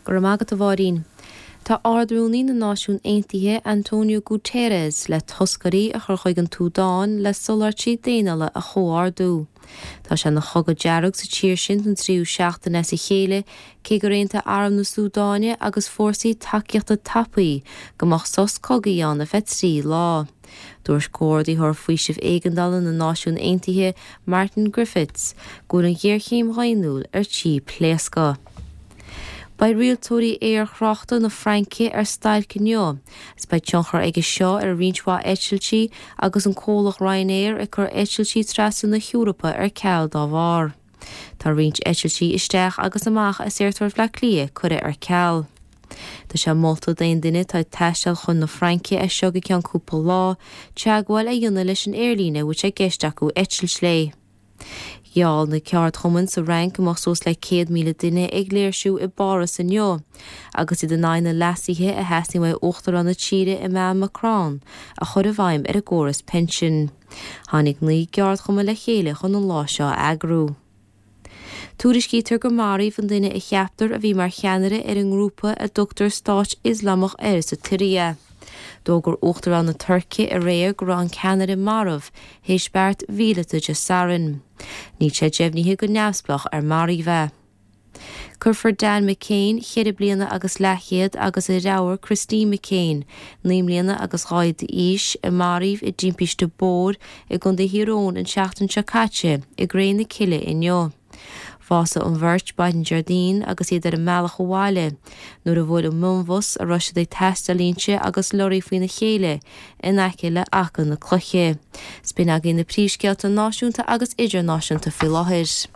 Go raibh maith agat, a Mháirín. Tá Ard-Rúnaí na Náisiún Aontaithe, Antonio Guterres, le toscairí a chur chuig an tSúdáin le soláthairtí daonnúla a chomhordú. Tá sé ina chogadh dearg sa tír sin don tríú seachtain as a chéile, cé gur aontaigh Arm na Súdáine agus Fórsaí Tacaíochta Tapaí go mbeadh sos cogaidh ann ar feadh 3 lá. Dúirt Comhordaitheoir Faoisimh Éigeandála na Náisiún Aontaithe, Martin Griffiths, go bhfuil an ghéarchéim dhaonnúil ar tí pléascadh. Beidh rialtóirí aerthráchta na Fraince ar stailc inniu agus beidh tionchar aige seo ar roinnt mhaith eitiltí agus an comhlacht Ryanair ag cur eitiltí trasna na hEorpa ar ceal dá bharr. Tá roinnt eitiltí isteach agus amach as Aerfort Bhaile Átha Cliath curtha ar ceal. Tá sé molta d'aon duine atá ag taisteal chun na Fraince as seo go ceann cúpla lá, teagmháil a dhéanamh leis an aerlíne a bhfuil sé i gceist acu eitilt léi. Gheall na ceardchumainn sa Fhrainc go mbeadh suas le 100,000 duine ag léirsiú i bPáras inniu agus iad in aghaidh na leasuithe a theastaíonn uaidh Uachtarán na tíre Emmanuel Macron a chur i bhfeidhm ar an gcóras pinsin. Tháinig 9 gceardchumann le chéile chun an lá seo a eagrú. Tuairiscítear gur maraíodh an duine a cheaptar a bhí mar cheannaire ar an ngrúpa a dtugtar Stát Ioslamach air sa tSiria. D'fhógair Uachtarán na Tuirce aréir go raibh an ceannaire marbh théis beart mhíleata Dé Sathairn. Níl sé deimhnithe go neamhspleách ar maraíodh é. Cuirfear Dan McCain, cheithre bliana agus leathchéad, agus a dheartháir Christine McCain, 9 mbliana agus 2 fhichead d'aois, a maraíodh i dtimpiste bóthair i gContae Thír Eoghain an tseachtain seo caite, i gcré na cille inniu. Bhásaigh an bheirt maidin Déardaoin agus iad ar a mbealach abhaile nuair a bhuail an mionbhus a raibh siad ag taisteal inti agus lorraí faoina chéile in aice le Achadh na Cloiche. 'S b'in agaibh na príomhscéalta náisiúnta agus idirnáisiúnta faoi láthair.